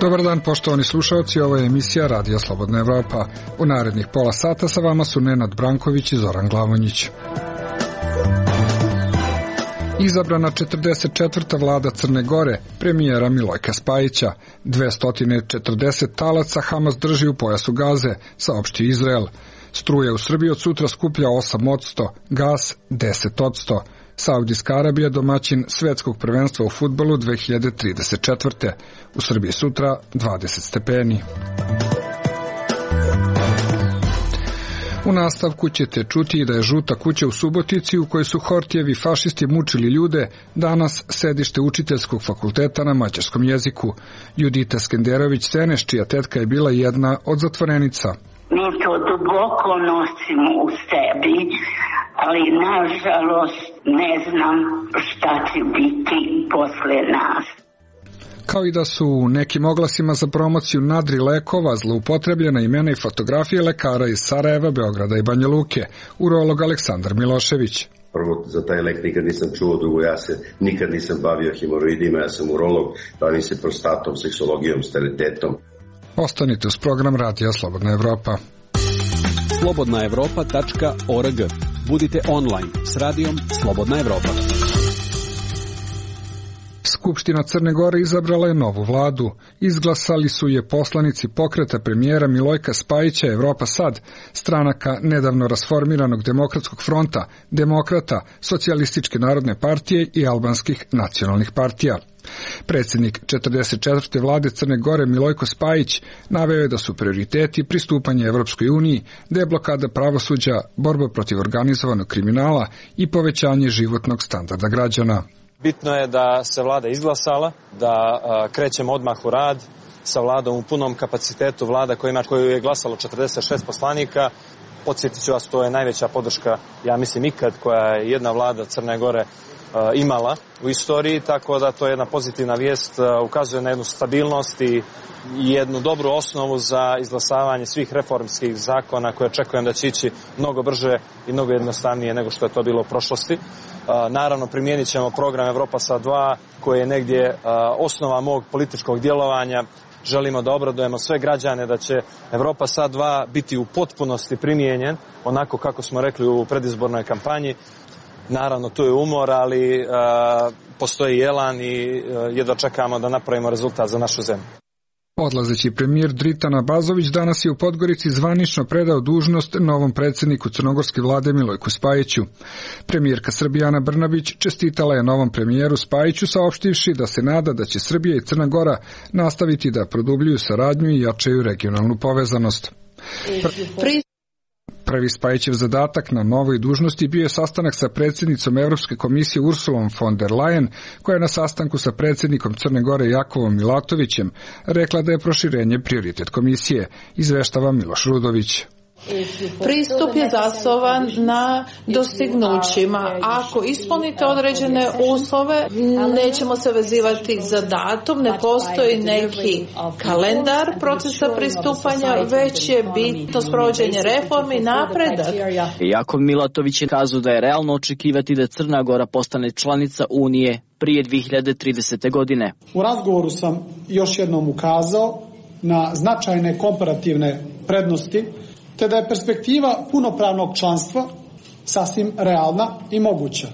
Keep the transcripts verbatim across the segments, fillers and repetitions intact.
Dobar dan, poštovani slušalci, ovo je emisija Radija Slobodna Evropa. U narednih pola sata sa vama su Nenad Branković i Zoran Glavonjić. Izabrana četrdeset četvrta vlada Crne Gore, premijera Milojka Spajića. dvesta četrdeset talaca Hamas drži u pojasu Gaze, saopšti Izrael. Struje u Srbiji od sutra skuplja osam posto, gas deset posto. Saudijska Arabija domaćin svetskog prvenstva u fudbalu dve hiljade trideset četvrte. U Srbiji sutra dvadeset stepeni. U nastavku ćete čuti da je žuta kuća u Subotici u kojoj su Hortijevi fašisti mučili ljude danas sedište učiteljskog fakulteta na mađarskom jeziku. Judita Skenderović-Seneš, čija tetka je bila jedna od zatvorenica. Mi to duboko nosimo u sebi, ali nažalost ne znam šta će biti posle nas. Kao i da su u nekim oglasima za promociju nadri lekova zloupotrebljena imena i fotografije lekara iz Sarajeva, Beograda i Banja Luke, urolog Aleksandar Milošević. Prvo, za taj lek nikad nisam čuo, drugo, ja se nikad nisam bavio hemoroidima, ja sam urolog, bavim se prostatom, seksologijom, sterilitetom. Ostanite uz program Radija Slobodna Evropa. slobodna evropa tačka org. Budite online s radijom Slobodna Evropa. Skupština Crne Gore izabrala je novu vladu. Izglasali su je poslanici pokreta premijera Milojka Spajića Evropa Sad, stranaka nedavno rasformiranog Demokratskog fronta, Demokrata, Socijalističke narodne partije i albanskih nacionalnih partija. Predsjednik četrdeset četvrte vlade Crne Gore Milojko Spajić naveo je da su prioriteti pristupanje Evropskoj uniji, deblokada pravosuđa, borba protiv organizovanog kriminala i povećanje životnog standarda građana. Bitno je da se vlada izglasala, da a, krećemo odmah u rad sa vladom u punom kapacitetu, vlada koja ima, koju je glasalo četrdeset šest poslanika. Podsjetit ću vas, to je najveća podrška, ja mislim ikad, koja je jedna vlada Crne Gore a, imala u istoriji, tako da to je jedna pozitivna vijest, a, ukazuje na jednu stabilnost i jednu dobru osnovu za izglasavanje svih reformskih zakona koje očekujem da će ići mnogo brže i mnogo jednostavnije nego što je to bilo u prošlosti. Naravno, primijenit ćemo program Evropa Sad dva, koji je negdje osnova mog političkog djelovanja. Želimo da obradujemo sve građane da će Evropa Sad dva biti u potpunosti primijenjen, onako kako smo rekli u predizbornoj kampanji. Naravno, tu je umor, ali postoji elan i jedva čekamo da napravimo rezultat za našu zemlju. Odlazeći premijer Dritan Abazović danas je u Podgorici zvanično predao dužnost novom predsjedniku crnogorske vlade Milojku Spajiću. Premijerka Srbije Ana Brnabić čestitala je novom premijeru Spajiću saopštivši da se nada da će Srbija i Crna Gora nastaviti da produbljuju saradnju i jačaju regionalnu povezanost. Pr- Prvi Spajićev zadatak na novoj dužnosti bio je sastanak sa predsjednicom Evropske komisije Ursulom von der Leyen, koja je na sastanku sa predsjednikom Crne Gore Jakovom Milatovićem rekla da je proširenje prioritet komisije, izveštava Miloš Rudović. Pristup je zasnovan na dostignućima. Ako ispunite određene uslove, nećemo se vezivati za datum, ne postoji neki kalendar procesa pristupanja, već je bitno sprovođenje reformi i napredak. Jakov Milatović je kazao da je realno očekivati da Crna Gora postane članica Unije prije dve hiljade tridesete. godine. U razgovoru sam još jednom ukazao na značajne komparativne prednosti, te da je perspektiva punopravnog članstva sasvim realna i moguća.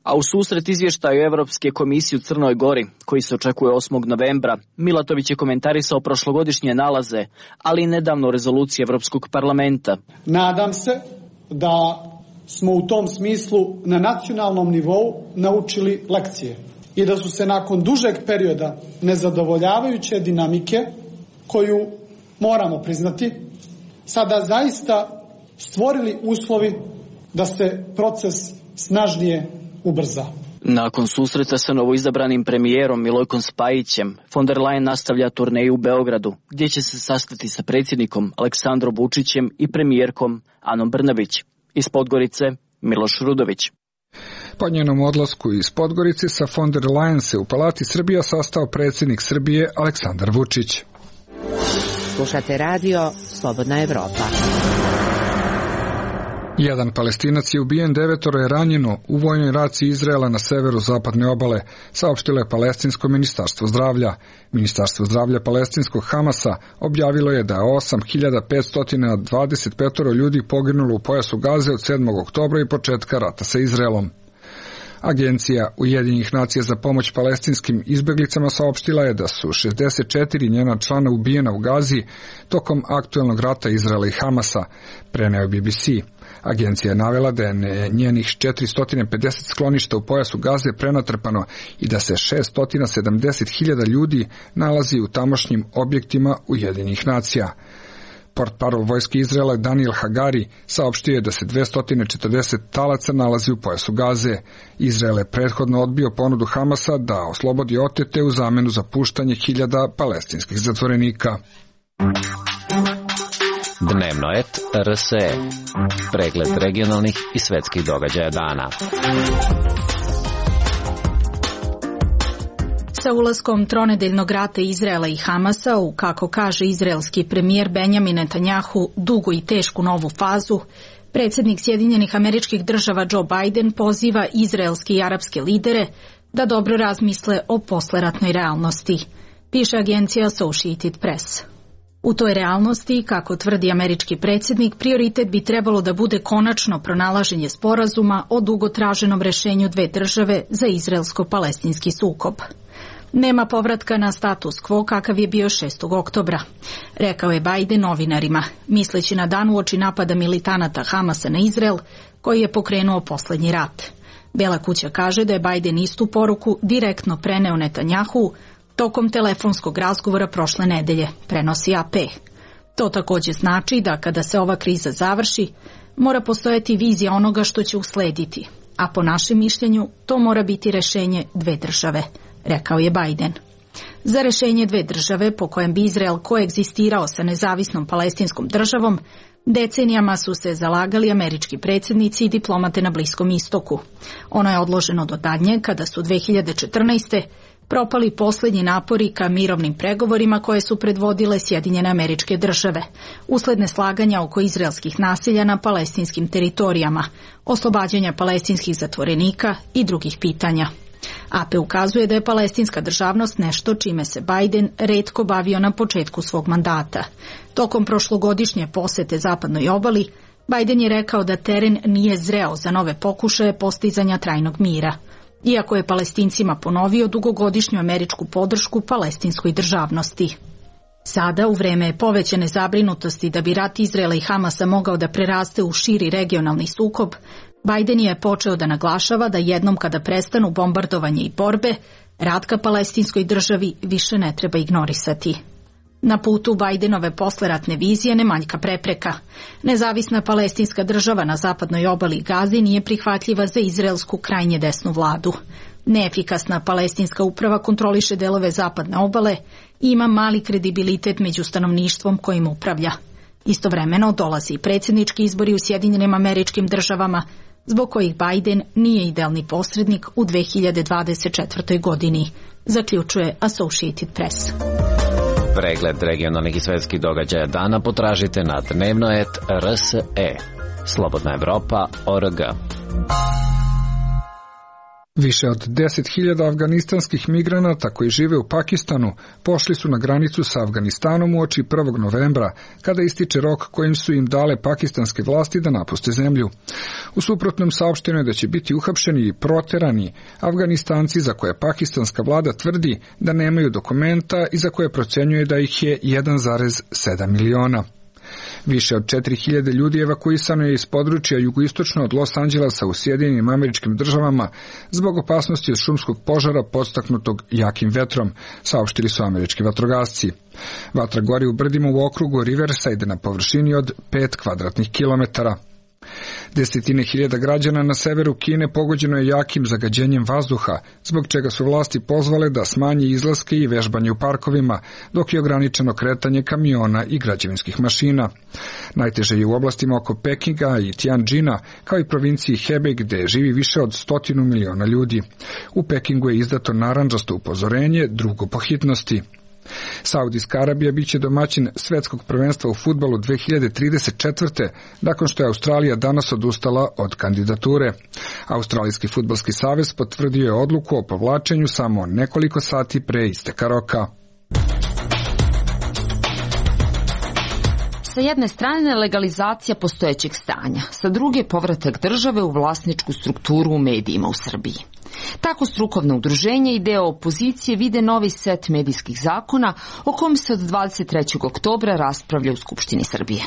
A u susret izvještaju Evropske komisije u Crnoj Gori, koji se očekuje osmog novembra, Milatović je komentarisao prošlogodišnje nalaze, ali i nedavno rezoluciju Evropskog parlamenta. Nadam se da smo u tom smislu na nacionalnom nivou naučili lekcije i da su se nakon dužeg perioda nezadovoljavajuće dinamike, koju moramo priznati, sada zaista stvorili uslovi da se proces snažnije ubrza. Nakon susreta sa novoizabranim premijerom Milojkom Spajićem, von der Leyen nastavlja turneju u Beogradu, gdje će se sastati sa predsjednikom Aleksandrom Vučićem i premijerkom Anom Brnabić. Iz Podgorice, Miloš Rudović. Po njenom odlasku iz Podgorice sa von der Leyen se u Palati Srbija sastao predsjednik Srbije Aleksandar Vučić. Slušate radio Slobodna Evropa. Jedan Palestinac je ubijen, devetoro je ranjeno u vojnoj raciji Izraela na severu zapadne obale, saopštilo je Palestinsko ministarstvo zdravlja. Ministarstvo zdravlja palestinskog Hamasa objavilo je da je osam hiljada petsto dvadeset pet ljudi poginulo u pojasu Gaze od sedmog oktobra i početka rata sa Izraelom. Agencija Ujedinjenih nacija za pomoć palestinskim izbeglicama saopštila je da su šezdeset četiri njena člana ubijena u Gazi tokom aktuelnog rata Izraela i Hamasa, preneo B B C. Agencija je navela da je njenih četiristo pedeset skloništa u pojasu Gaze prenatrpano i da se šesto sedamdeset hiljada ljudi nalazi u tamošnjim objektima Ujedinjenih nacija. Portparol vojske Izraela Daniel Hagari saopštio je da se dvesta četrdeset talaca nalazi u pojasu Gaze. Izrael je prethodno odbio ponudu Hamasa da oslobodi otete u zamenu za puštanje hiljada palestinskih zatvorenika. Dnevno et R S E. Pregled regionalnih i svetskih događaja dana. Sa ulaskom tronedeljnog rata Izraela i Hamasa u, kako kaže izraelski premijer Benjamin Netanjahu, dugu i tešku novu fazu, predsjednik Sjedinjenih Američkih Država Joe Biden poziva izraelske i arapske lidere da dobro razmisle o posleratnoj realnosti, piše agencija Associated Press. U toj realnosti, kako tvrdi američki predsjednik, prioritet bi trebalo da bude konačno pronalaženje sporazuma o dugo traženom rešenju dve države za izraelsko-palestinski sukob. Nema povratka na status quo kakav je bio šestog oktobra, rekao je Biden novinarima, misleći na dan uoči napada militanata Hamasa na Izrael, koji je pokrenuo poslednji rat. Bela kuća kaže da je Biden istu poruku direktno preneo Netanjahu tokom telefonskog razgovora prošle nedelje, prenosi A P. To također znači da kada se ova kriza završi, mora postojati vizija onoga što će uslediti, a po našem mišljenju to mora biti rešenje dve države, rekao je Biden. Za rešenje dve države po kojem bi Izrael koegzistirao sa nezavisnom palestinskom državom, decenijama su se zalagali američki predsjednici i diplomate na Bliskom istoku. Ono je odloženo do daljnje kada su dve hiljade četrnaeste. propali posljednji napori ka mirovnim pregovorima koje su predvodile Sjedinjene Američke Države, usled neslaganja oko izraelskih nasilja na palestinskim teritorijama, oslobađanja palestinskih zatvorenika i drugih pitanja. A P ukazuje da je palestinska državnost nešto čime se Biden retko bavio na početku svog mandata. Tokom prošlogodišnje posete zapadnoj obali, Biden je rekao da teren nije zreo za nove pokušaje postizanja trajnog mira, iako je Palestincima ponovio dugogodišnju američku podršku palestinskoj državnosti. Sada, u vreme povećane zabrinutosti da bi rat Izraela i Hamasa mogao da preraste u širi regionalni sukob, Biden je počeo da naglašava da jednom kada prestanu bombardovanje i borbe, rat ka palestinskoj državi više ne treba ignorisati. Na putu Bidenove posleratne vizije ne manjka prepreka. Nezavisna palestinska država na zapadnoj obali Gazi nije prihvatljiva za izraelsku krajnje desnu vladu. Neefikasna palestinska uprava kontroliše delove zapadne obale i ima mali kredibilitet među stanovništvom kojim upravlja. Istovremeno dolazi predsjednički izbori u Sjedinjenim Američkim Državama, zbog kojih Biden nije idealni posrednik u dve hiljade dvadeset četvrtoj. godini, zaključuje Associated Press. Pregled regionalnih i svetskih događaja dana potražite na dnevno et R S E. Slobodna Evropa O R G. Više od deset hiljada afganistanskih migranata koji žive u Pakistanu pošli su na granicu sa Afganistanom uoči prvog novembra, kada ističe rok kojim su im dale pakistanske vlasti da napuste zemlju. U suprotnom saopšteno je da će biti uhapšeni i proterani Afganistanci za koje pakistanska vlada tvrdi da nemaju dokumenta i za koje procenjuje da ih je jedan zarez sedam miliona. Više od četiri hiljade ljudi evakuisano je iz područja jugoistočno od Los Angelesa u Sjedinjenim Američkim Državama zbog opasnosti od šumskog požara podstaknutog jakim vetrom, saopštili su američki vatrogasci. Vatra gori u brdima u okrugu Riverside na površini od pet kvadratnih kilometara. Desetine hiljada građana na severu Kine pogođeno je jakim zagađenjem vazduha, zbog čega su vlasti pozvale da smanji izlaske i vežbanje u parkovima, dok je ograničeno kretanje kamiona i građevinskih mašina. Najteže je u oblastima oko Pekinga i Tianjina, kao i provinciji Hebei gde živi više od stotinu miliona ljudi. U Pekingu je izdato narandžasto upozorenje, drugo po hitnosti. Saudijska Arabija biće domaćin svetskog prvenstva u fudbalu dve hiljade trideset četvrte. nakon što je Australija danas odustala od kandidature. Australijski fudbalski savez potvrdio je odluku o povlačenju samo nekoliko sati pre isteka roka. Sa jedne strane legalizacija postojećeg stanja, sa druge povratak države u vlasničku strukturu u medijima u Srbiji. Tako strukovno udruženje i deo opozicije vide novi set medijskih zakona o kom se od dvadeset trećeg oktobra raspravlja u Skupštini Srbije.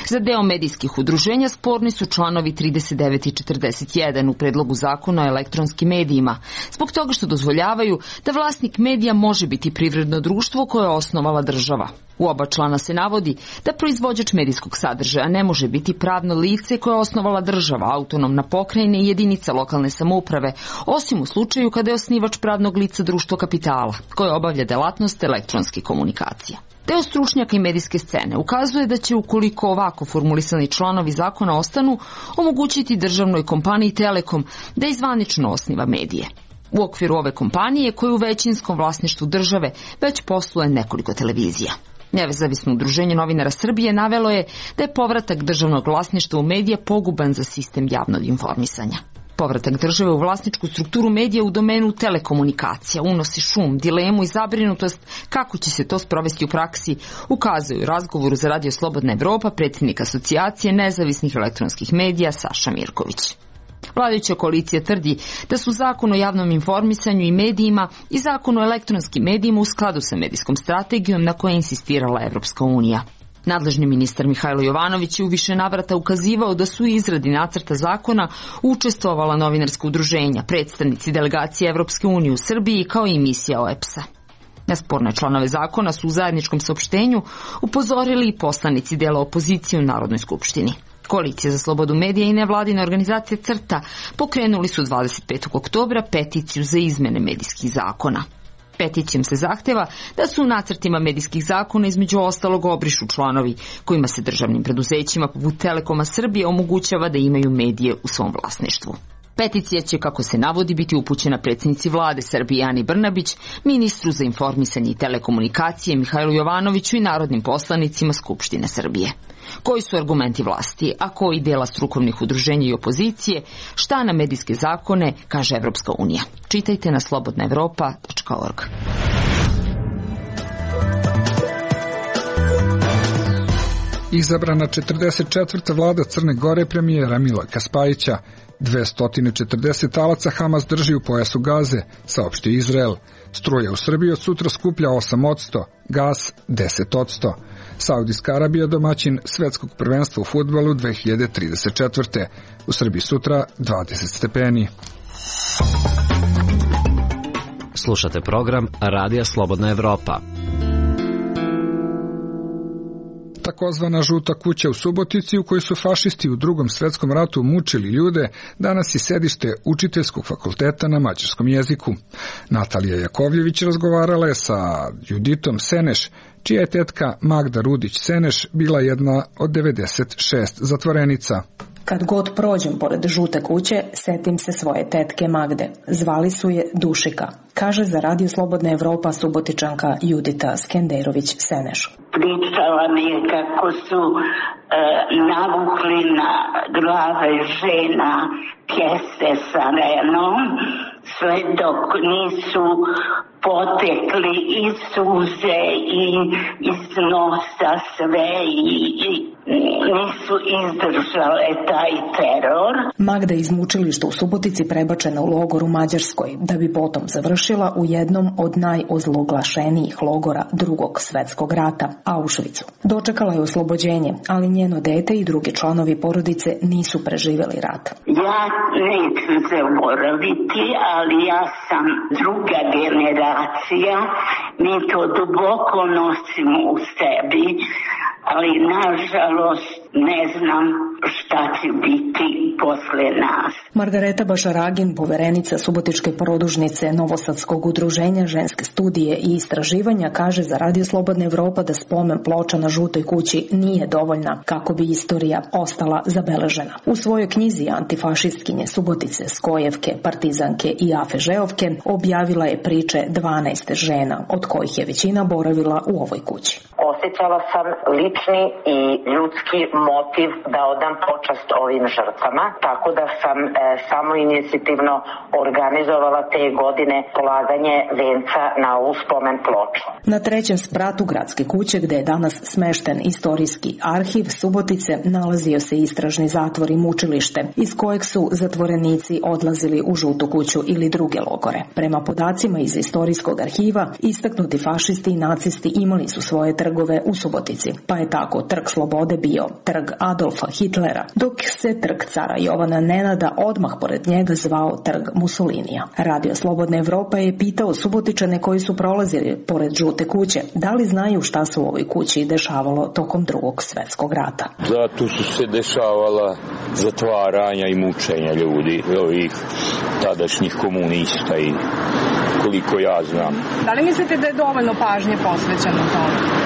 Za deo medijskih udruženja sporni su članovi trideset devet i četrdeset jedan u predlogu zakona o elektronskim medijima, zbog toga što dozvoljavaju da vlasnik medija može biti privredno društvo koje je osnovala država. U oba člana se navodi da proizvođač medijskog sadržaja ne može biti pravno lice koje je osnovala država, autonomna pokrajina i jedinica lokalne samouprave, osim u slučaju kada je osnivač pravnog lica društvo kapitala, koje obavlja delatnost elektronske komunikacije. Deo stručnjaka i medijske scene ukazuje da će, ukoliko ovako formulisani članovi zakona ostanu, omogućiti državnoj kompaniji Telekom da izvanično osniva medije. U okviru ove kompanije, koja je u većinskom vlasništvu države, već posluje nekoliko televizija. Nezavisno udruženje novinara Srbije navelo je da je povratak državnog vlasništva u medije poguban za sistem javnog informisanja. Povratak države u vlasničku strukturu medija u domenu telekomunikacija unosi šum, dilemu i zabrinutost kako će se to sprovesti u praksi, ukazuju u razgovoru za Radio Slobodna Evropa predsjednik Asocijacije nezavisnih elektronskih medija Saša Mirković. Vladajuća koalicija tvrdi da su Zakon o javnom informisanju i medijima i Zakon o elektronskim medijima u skladu sa medijskom strategijom na kojoj je insistirala Evropska unija. Nadležni ministar Mihajlo Jovanović je u više navrata ukazivao da su u izradi nacrta zakona učestvovala novinarska udruženja, predstavnici delegacije Evropske unije u Srbiji kao i misija O E P S-a. Na sporne članove zakona su u zajedničkom saopštenju upozorili i poslanici dela opozicije u Narodnoj skupštini. Koalicija za slobodu medija i nevladina organizacija CRTA pokrenuli su dvadeset petog oktobra peticiju za izmene medijskih zakona. Peticijom se zahteva da su u nacrtima medijskih zakona između ostalog obrišu članovi kojima se državnim preduzećima poput Telekoma Srbije omogućava da imaju medije u svom vlasništvu. Peticija će, kako se navodi, biti upućena predsjednici vlade Srbije Ani Brnabić, ministru za informisanje i telekomunikacije Mihajlu Jovanoviću i narodnim poslanicima Skupštine Srbije. Koji su argumenti vlasti, a koji dela strukovnih udruženja i opozicije, šta na medijske zakone kaže Evropska unija. Čitajte na slobodna evropa tačka org. Izabrana četrdeset četvrta vlada Crne Gore premijera Milojka Spajića. dvesta četrdeset talaca Hamas drži u pojasu Gaze, saopšti Izrael. Struja u Srbiji od sutra skuplja osam posto, gas deset posto. Saudijska Arabija domaćin svetskog prvenstva u fudbalu dve hiljade trideset četvrte. U Srbiji sutra dvadeset stepeni. Slušate program Radija Slobodna Evropa. Takozvana žuta kuća u Subotici, u kojoj su fašisti u Drugom svetskom ratu mučili ljude, danas je sedište Učiteljskog fakulteta na mađarskom jeziku. Natalija Jakovljević razgovarala je sa Juditom Seneš, čija je tetka Magda Rudić-Seneš bila jedna od devedeset šest zatvorenica. Kad god prođem pored žute kuće, setim se svoje tetke Magde. Zvali su je Dušika, kaže za Radio Slobodna Evropa Subotičanka Judita Skenderović-Seneš. Pričala mi je kako su e, navukli na glave žena kese sa renom, sve dok nisu potekli i suze i iz nosa sve i, i nisu izdržale taj teror. Magda iz mučilišta u Subotici prebačena u logor u Mađarskoj, da bi potom završila u jednom od najozloglašenijih logora Drugog svetskog rata, Auschwitzu. Dočekala je oslobođenje, ali njeno dete i drugi članovi porodice nisu preživjeli rat. Ja neću zaboraviti, ali ja sam druga generacija, mi to duboko nosimo u sebi, ali nažalost ne znam šta će biti posle nas. Margareta Bašaragin, poverenica Subotičke produžnice Novosadskog udruženja ženske studije i istraživanja, kaže za Radio Slobodna Evropa da spomen ploča na Žutoj kući nije dovoljna kako bi istorija ostala zabeležena. U svojoj knjizi Antifašistkinje Subotice, Skojevke, Partizanke i Afežeovke objavila je priče dvanaest žena, od kojih je većina boravila u ovoj kući. Osjećala sam lični i ljudski motiv da odam počast ovim žrtvama, tako da sam e, samo inicijativno organizovala te godine polaganje venca na ovu spomen ploču. Na trećem spratu gradske kuće, gde je danas smešten istorijski arhiv Subotice, nalazio se istražni zatvor i mučilište, iz kojeg su zatvorenici odlazili u Žutu kuću ili druge logore. Prema podacima iz istorijskog arhiva, istaknuti fašisti i nacisti imali su svoje trgove u Subotici, pa je tako Trg Slobode bio Trg Adolfa Hitlera, dok se Trg cara Jovana Nenada odmah pored njega zvao Trg Mussolinija. Radio Slobodna Evropa je pitao Subotičane koji su prolazili pored Žute kuće, da li znaju šta se u ovoj kući dešavalo tokom Drugog svetskog rata. Da, tu su se dešavala zatvaranja i mučenja ljudi, ovih tadašnjih komunista i koliko ja znam. Da li mislite da je dovoljno pažnje posvećeno tome?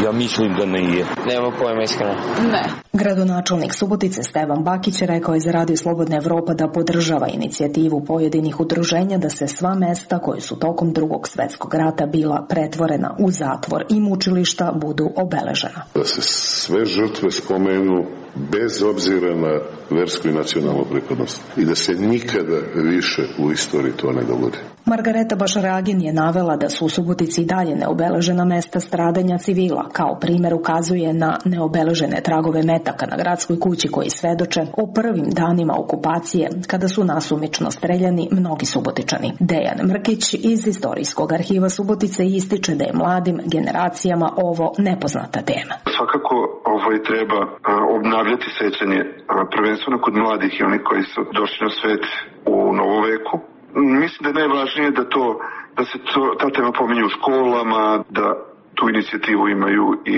Ja mislim da nije. Nema pojma iskreno. Ne. Gradonačelnik Subotice Stevan Bakić rekao je za Radio Slobodna Evropa da podržava inicijativu pojedinih udruženja da se sva mesta koje su tokom Drugog svetskog rata bila pretvorena u zatvor i mučilišta budu obeležena. Da se sve žrtve spomenu bez obzira na versku i nacionalnu pripadnost i da se nikada više u istoriji to ne dogodi. Margareta Bašaragin je navela da su u Subotici i dalje neobeležena mesta stradanja civila. Kao primjer ukazuje na neobeležene tragove metaka na gradskoj kući koji svedoče o prvim danima okupacije kada su nasumično streljani mnogi Subotičani. Dejan Mrkić iz Istorijskog arhiva Subotice ističe da je mladim generacijama ovo nepoznata tema. Svakako ovo treba obnavljati sećanje prvenstveno kod mladih i onih koji su došli na svet u novoveku. Mislim da je najvažnije da to, da se to, ta tema pominje u školama, da tu inicijativu imaju i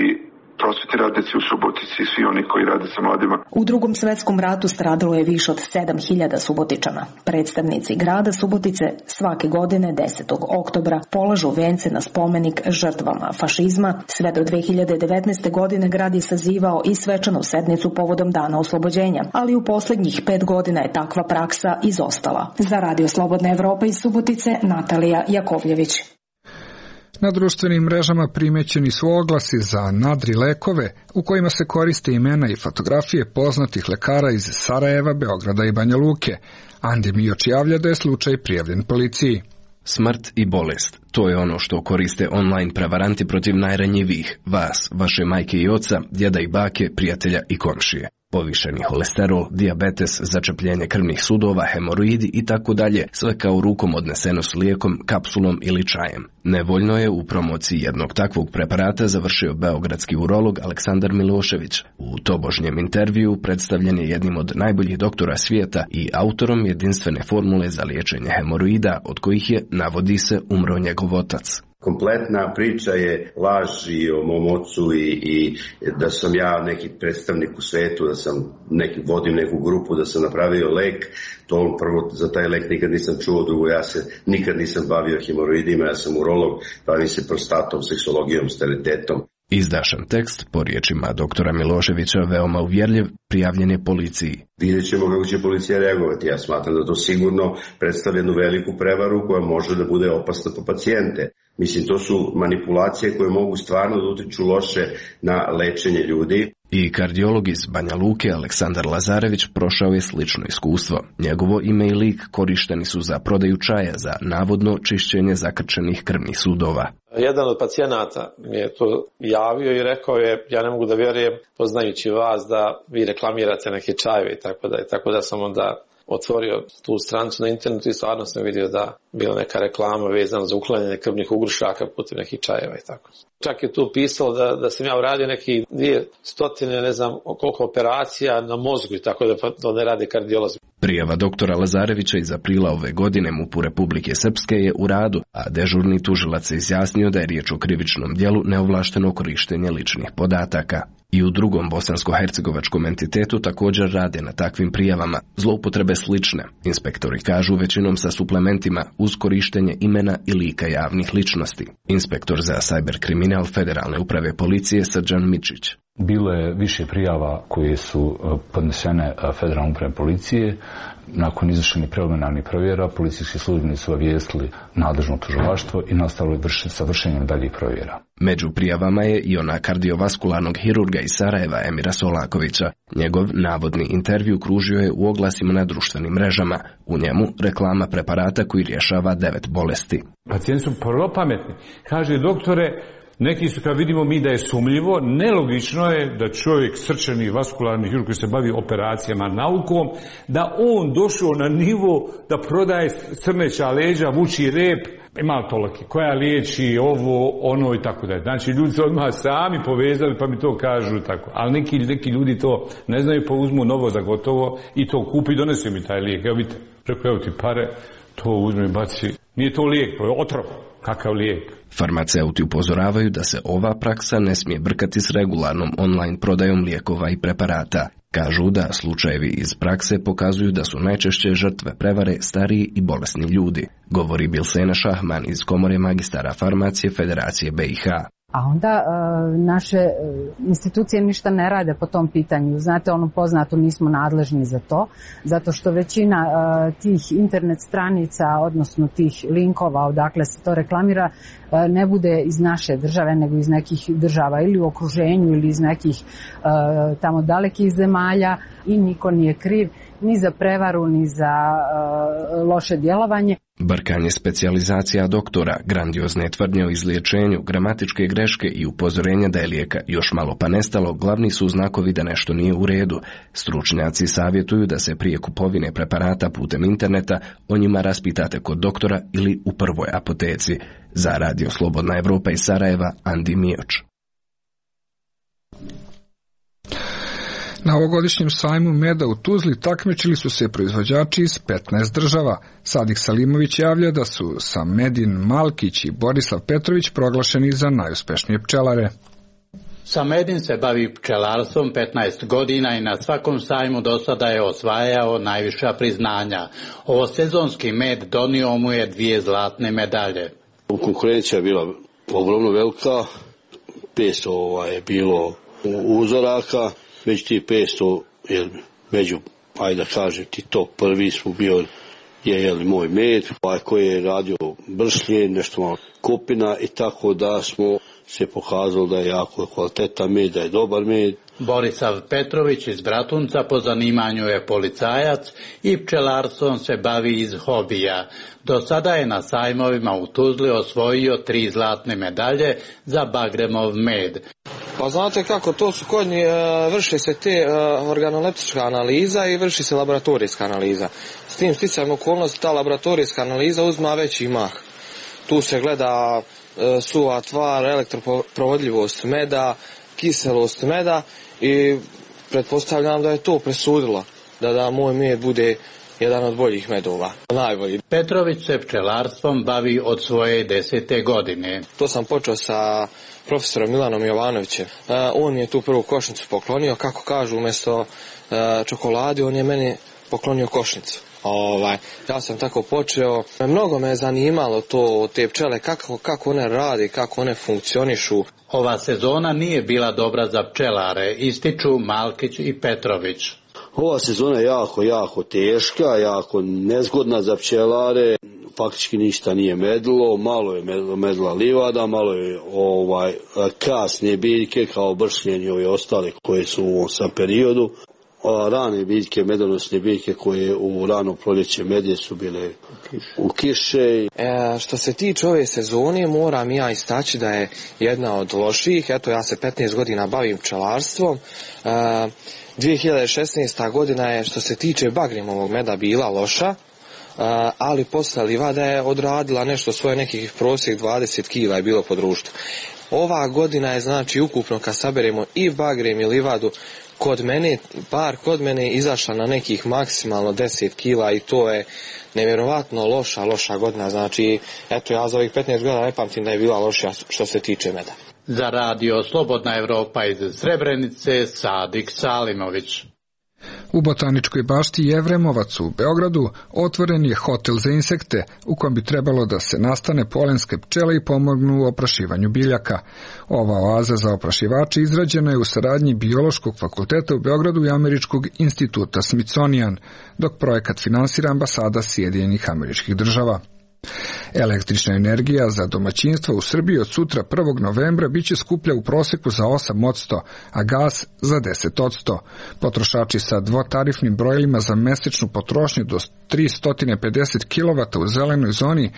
prosvetni radnici u Subotici i svi oni koji rade sa mladima. U Drugom svetskom ratu stradalo je više od sedam hiljada Subotičana. Predstavnici grada Subotice svake godine desetog oktobra polažu vence na spomenik žrtvama fašizma. Sve do dve hiljade devetnaeste. godine grad je sazivao i svečanu sednicu povodom Dana oslobođenja, ali u posljednjih pet godina je takva praksa izostala. Za Radio Slobodna Evropa iz Subotice, Natalija Jakovljević. Na društvenim mrežama primećeni su oglasi za nadri lekove u kojima se koriste imena i fotografije poznatih lekara iz Sarajeva, Beograda i Banja Luke. Andi Mioč javlja da je slučaj prijavljen policiji. Smrt i bolest, to je ono što koriste online prevaranti protiv najranjivijih, vas, vaše majke i oca, djeda i bake, prijatelja i komšije. Povišeni holesterol, dijabetes, začepljenje krvnih sudova, hemoroidi i tako dalje, sve kao rukom odneseno s lijekom, kapsulom ili čajem. Nevoljno je u promociji jednog takvog preparata završio beogradski urolog Aleksandar Milošević. U tobožnjem intervju predstavljen je jednim od najboljih doktora svijeta i autorom jedinstvene formule za liječenje hemoroida, od kojih je, navodi se, umro njegov otac. Kompletna priča je laž i o mom ocu i, i da sam ja neki predstavnik u svetu, da sam neki, vodim neku grupu, da sam napravio lek. To prvo, za taj lek nikad nisam čuo, drugo ja se nikad nisam bavio hemoroidima, ja sam urolog, bavim se prostatom, seksologijom, sterilitetom. Izdašan tekst, po riječima doktora Miloševića, veoma uvjerljiv, prijavljen je policiji. Vidjet ćemo kako će policija reagovati. Ja smatram da to sigurno predstavlja jednu veliku prevaru koja može da bude opasna po pacijente. Mislim, to su manipulacije koje mogu stvarno da utiču loše na lečenje ljudi. I kardiolog iz Banja Luke, Aleksandar Lazarević, prošao je slično iskustvo. Njegovo ime i lik korišteni su za prodaju čaja za navodno čišćenje zakrčenih krvnih sudova. Jedan od pacijenata mi je to javio i rekao je, ja ne mogu da vjerujem, poznajući vas, da vi reklamirate neke čajeve i tako da. I tako da sam onda otvorio tu stranicu na internetu i stvarno sam vidio da bila neka reklama vezana za uklanjanje krvnih ugrušaka putem nekih čajeva i tako. Čak je tu pisalo da, da sam ja uradio neki dvije stotine, ne znam koliko operacija na mozgu i tako da to ne radi kardiolozi. Prijava doktora Lazarevića iz aprila ove godine MUP-u Republike Srpske je u radu, a dežurni tužilac se izjasnio da je riječ o krivičnom djelu neovlaštenog korištenja ličnih podataka. I u drugom bosansko-hercegovačkom entitetu također rade na takvim prijavama, zloupotrebe slične. Inspektori kažu većinom sa suplementima uz korištenje imena i lika javnih ličnosti. Inspektor za sajber kriminal Federalne uprave policije Srđan Mičić. Bilo je više prijava koje su podnesene Federalne uprave policije. Nakon izvršenih preliminarnih provjera, policijski službenici su obavijestili nadležno tužilaštvo i nastavili sa vršenjem daljih provjera. Među prijavama je i ona kardiovaskularnog hirurga iz Sarajeva Emira Solakovića. Njegov navodni intervju kružio je u oglasima na društvenim mrežama. U njemu reklama preparata koji rješava devet bolesti. Pacijenti su prvo pametni. Kaže, doktore, neki su, kad vidimo mi da je sumljivo, nelogično je da čovjek srčani vaskularni hirurg koji se bavi operacijama naukom, da on došao na nivo da prodaje crneća leđa, vuči rep, ima toliki, koja liječi ovo, ono i tako dalje. Znači, ljudi se odmah sami povezali pa mi to kažu tako. Ali neki, neki ljudi to ne znaju, pa uzmu novo za gotovo i to kupi i donesu mi taj lijek. Evo vidite, preko evo ti pare, to uzme i baci. Nije to lijek, to je otrov. Kakav lijek? Farmaceuti upozoravaju da se ova praksa ne smije brkati s regularnom online prodajom lijekova i preparata. Kažu da slučajevi iz prakse pokazuju da su najčešće žrtve prevare stariji i bolesni ljudi, govori Bilsena Šahman iz Komore magistara farmacije Federacije B i H. A onda e, naše institucije ništa ne rade po tom pitanju. Znate, ono poznato, nismo nadležni za to, zato što većina e, tih internet stranica, odnosno tih linkova odakle se to reklamira, e, ne bude iz naše države, nego iz nekih država ili u okruženju ili iz nekih e, tamo dalekih zemalja i niko nije kriv ni za prevaru, ni za e, loše djelovanje. Brkanje specijalizacija doktora, grandiozne tvrdnje o izliječenju, gramatičke greške i upozorenja da je lijeka još malo pa nestalo glavni su znakovi da nešto nije u redu. Stručnjaci savjetuju da se prije kupovine preparata putem interneta o njima raspitate kod doktora ili u prvoj apoteci. Za Radio Slobodna Evropa iz Sarajeva, Andi Mioč. Na ovogodišnjem sajmu meda u Tuzli takmičili su se proizvođači iz petnaest država. Sadik Salimović javlja da su Samedin Malkić i Borislav Petrović proglašeni za najuspešnije pčelare. Samedin se bavi pčelarstvom petnaest godina i na svakom sajmu do sada je osvajao najviša priznanja. Ovo sezonski med donio mu je dvije zlatne medalje. Konkurencija je bila ogromno velika, petsto ovaj, je bilo uzoraka. Već ti petsto, jer među, ajde da kažem ti top prvi smo bio je jeli, moj med, ovaj koji je radio bršlje, nešto malo kupina i tako da smo se pokazali da je jako kvalitetan med, da je dobar med. Borislav Petrović iz Bratunca po zanimanju je policajac i pčelarstvom se bavi iz hobija. Do sada je na sajmovima u Tuzli osvojio tri zlatne medalje za Bagremov med. Pa znate kako, to su kod njih, vrši se te organoleptička analiza i vrši se laboratorijska analiza. S tim sticajem okolnosti ta laboratorijska analiza uzma veći mah. Tu se gleda suva tvar, elektroprovodljivost meda, kiselost meda i pretpostavljam da je to presudilo da, da moj med bude jedan od boljih medova. Najbolji. Petrović se pčelarstvom bavi od svoje desete godine. To sam počeo sa profesorom Milanom Jovanovićem. Uh, on je tu prvu košnicu poklonio, kako kažu, umjesto uh, čokolade, on je meni poklonio košnicu. Ovaj, ja sam tako počeo. Mnogo me je zanimalo to, te pčele, kako, kako one rade, kako one funkcionišu. Ova sezona nije bila dobra za pčelare, ističu Malkić i Petrović. Ova sezona je jako, jako teška, jako nezgodna za pčelare. Faktički ništa nije medilo, malo je medila livada, malo je ovaj kasne biljke kao bršljen i ove ostale koje su u ovom sam periodu. A rane biljke, medonosne biljke koje u rano proljeće medje su bile u kiše. E, što se tiče ove sezone, moram ja istaći da je jedna od loših. Eto, ja se petnaest godina bavim pčelarstvom. E, dvije hiljade šesnaesta godina je što se tiče Bagremovog meda bila loša. Uh, ali posle livada je odradila nešto svoje, nekih prosjek dvadeset kila je bilo po društvu. Ova godina je znači ukupno kad saberemo i Bagrem i livadu kod mene, par kod mene izašla na nekih maksimalno deset kila i to je nevjerovatno loša, loša godina. Znači, eto ja za ovih petnaest godina ne pamtim da je bila loša što se tiče meda. Za radio Slobodna Evropa iz Srebrenice, Sadik Salimović. U botaničkoj bašti Jevremovac u Beogradu otvoren je hotel za insekte u kojem bi trebalo da se nastane polenske pčele i pomognu u oprašivanju biljaka. Ova oaza za oprašivače izrađena je u saradnji Biološkog fakulteta u Beogradu i Američkog instituta Smithsonian, dok projekat finansira ambasada Sjedinjenih Američkih Država. Električna energija za domaćinstva u Srbiji od sutra prvog novembra biće skuplja u proseku za osam posto, a gas za deset posto. Potrošači sa dvotarifnim brojilima za mesečnu potrošnju do tristo pedeset kilovata u zelenoj zoni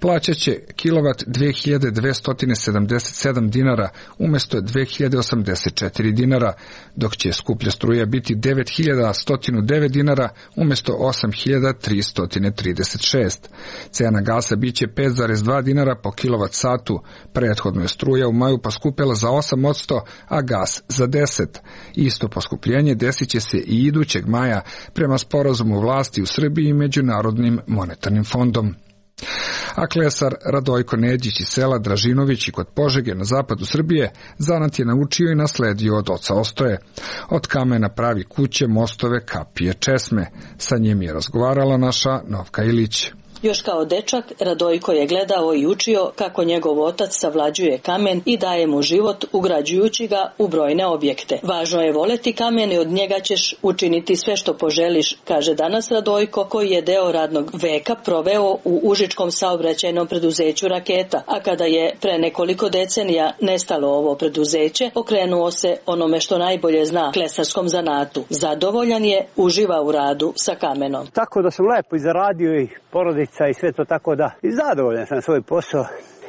plaćat će kilovat dve hiljade dvesta sedamdeset sedam dinara umesto dve hiljade osamdeset četiri dinara, dok će skuplja struja biti devet hiljada sto devet dinara umesto osam hiljada tristo trideset šest. Cena gasa biće pet zarez dva dinara po kilovat satu. Prethodno je struja u maju poskupela za osam posto, a gas za deset. Isto poskupljenje desit će se i idućeg maja prema sporazumu vlasti u Srbiji i Međunarodnim monetarnim fondom. A klesar Radojko Neđić iz sela Dražinović i kod Požege na zapadu Srbije zanat je naučio i nasledio od oca Ostoje. Od kamena pravi kuće, mostove, kapije, česme. Sa njim je razgovarala naša Novka Ilić. Još kao dečak, Radojko je gledao i učio kako njegov otac savlađuje kamen i daje mu život ugrađujući ga u brojne objekte. Važno je voleti kamen i od njega ćeš učiniti sve što poželiš, kaže danas Radojko, koji je deo radnog veka proveo u užičkom saobraćajnom preduzeću Raketa, a kada je pre nekoliko decenija nestalo ovo preduzeće, okrenuo se onome što najbolje zna, klesarskom zanatu. Zadovoljan je, uživa u radu sa kamenom. Tako da sam lepo i zaradio i porodica i sve to, tako da i zadovoljan sam svoj posao.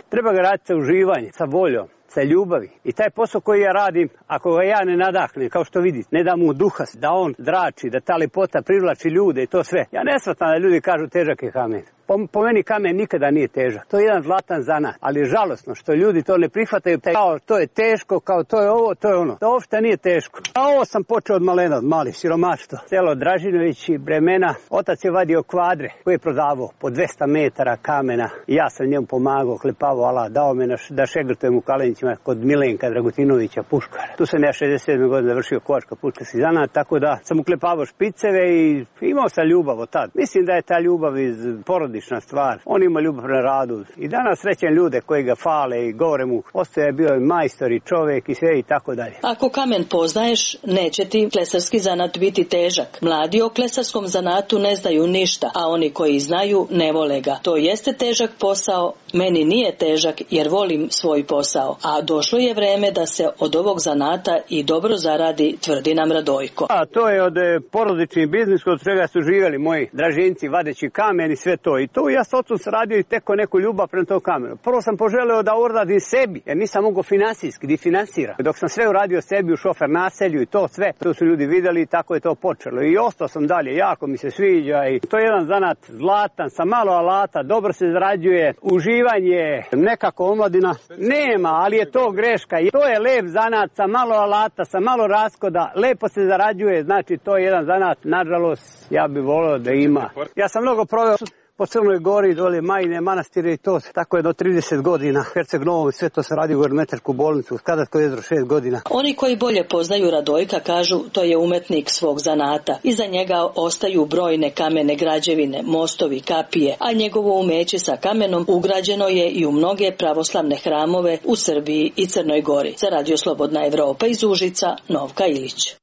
Treba ga raditi sa uživanjem, sa voljom, sa ljubavi. I taj posao koji ja radim, ako ga ja ne nadahnem, kao što vidite, ne da mu duha, da on zrači, da ta lepota privlači ljude i to sve. Ja ne shvatam da ljudi kažu težak je kamen. Po, po meni kamen nikada nije težak. To je jedan zlatan zanat, ali je žalosno što ljudi to ne prihvataju. Kao to je teško, kao to je ovo, to je ono. To uopšte nije teško. A ovo sam počeo od malena, od mali, siromaštvo. Selo Dražinović i Bremena. Otac je vadio kvadre koje je prodavao po dvesta metara kamena. I ja sam njemu pomagao, klepavao, ala, dao me na, da šegrtujem u Kalenićima kod Milenka Dragutinovića puškara. Tu sam ja šezdeset sedme godine završio kovačka puškarski zanat, tako da sam uklepavao špiceve i imao sam ljubav od tad. Mislim da je ta ljubav iz porodice stvar. On ima ljubav na radu. I danas srećem ljude koji ga fale i govore mu, Ostoja je bio majstor i čovjek i sve i tako dalje. Ako kamen poznaješ, neće ti klesarski zanat biti težak. Mladi o klesarskom zanatu ne znaju ništa, a oni koji znaju ne vole ga. To jeste težak posao, meni nije težak jer volim svoj posao. A došlo je vreme da se od ovog zanata i dobro zaradi, tvrdi nam Radojko. A to je od porodični biznis kod čega su živjeli moji dražinci vadeći kamen i sve to. I to ja s ocom sam radio i teko neku ljubav prema tom kamenu. Prvo sam poželeo da uradim sebi, jer nisam mogao finansijski, di finansira. Dok sam sve uradio sebi u šofer naselju i to sve, to su ljudi vidjeli i tako je to počelo. I ostao sam dalje, jako mi se sviđa i to je jedan zanat zlatan, sa malo alata, dobro se zarađuje, uživanje, nekako omladina nema, ali je to greška. I to je lep zanat sa malo alata, sa malo raskoda, lepo se zarađuje, znači to je jedan zanat, nažalost, ja bih volio da ima. Ja sam mnogo proveo po Crnoj Gori, dole Majine, manastire i to, tako je do trideset godina. Herceg Novom, sve to se radi u Ermetačku bolnicu, Skadarsko jezero šest godina. Oni koji bolje poznaju Radojka kažu to je umetnik svog zanata. Iza njega ostaju brojne kamene građevine, mostovi, kapije, a njegovo umeće sa kamenom ugrađeno je i u mnoge pravoslavne hramove u Srbiji i Crnoj Gori. Za Radio Slobodna Evropa iz Užica, Novka Ilić.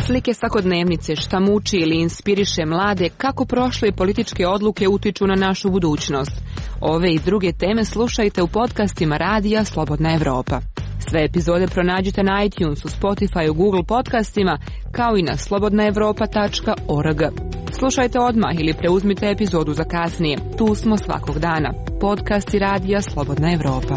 Slike svakodnevnice, šta muči ili inspiriše mlade, kako prošle političke odluke utiču na našu budućnost. Ove i druge teme slušajte u podcastima Radija Slobodna Evropa. Sve epizode pronađite na iTunesu, Spotifyu, Google podcastima, kao i na slobodna evropa tačka org. Slušajte odmah ili preuzmite epizodu za kasnije. Tu smo svakog dana. Podcasti Radija Slobodna Evropa.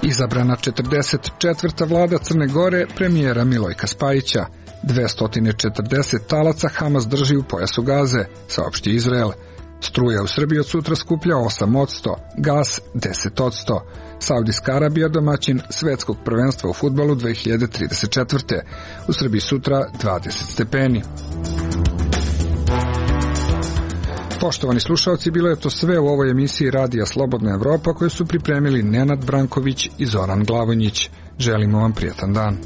Izabrana četrdeset četvrta vlada Crne Gore premijera Milojka Spajića. dvesta četrdeset talaca Hamas drži u pojasu Gaze, saopšti Izrael. Struja u Srbiji od sutra skuplja osam posto, gas deset posto. Saudijska Arabija domaćin svetskog prvenstva u fudbalu dve hiljade trideset četvrte. U Srbiji sutra dvadeset stepeni. Poštovani slušalci, bilo je to sve u ovoj emisiji Radija Slobodna Evropa koju su pripremili Nenad Branković i Zoran Glavonjić. Želimo vam prijatan dan.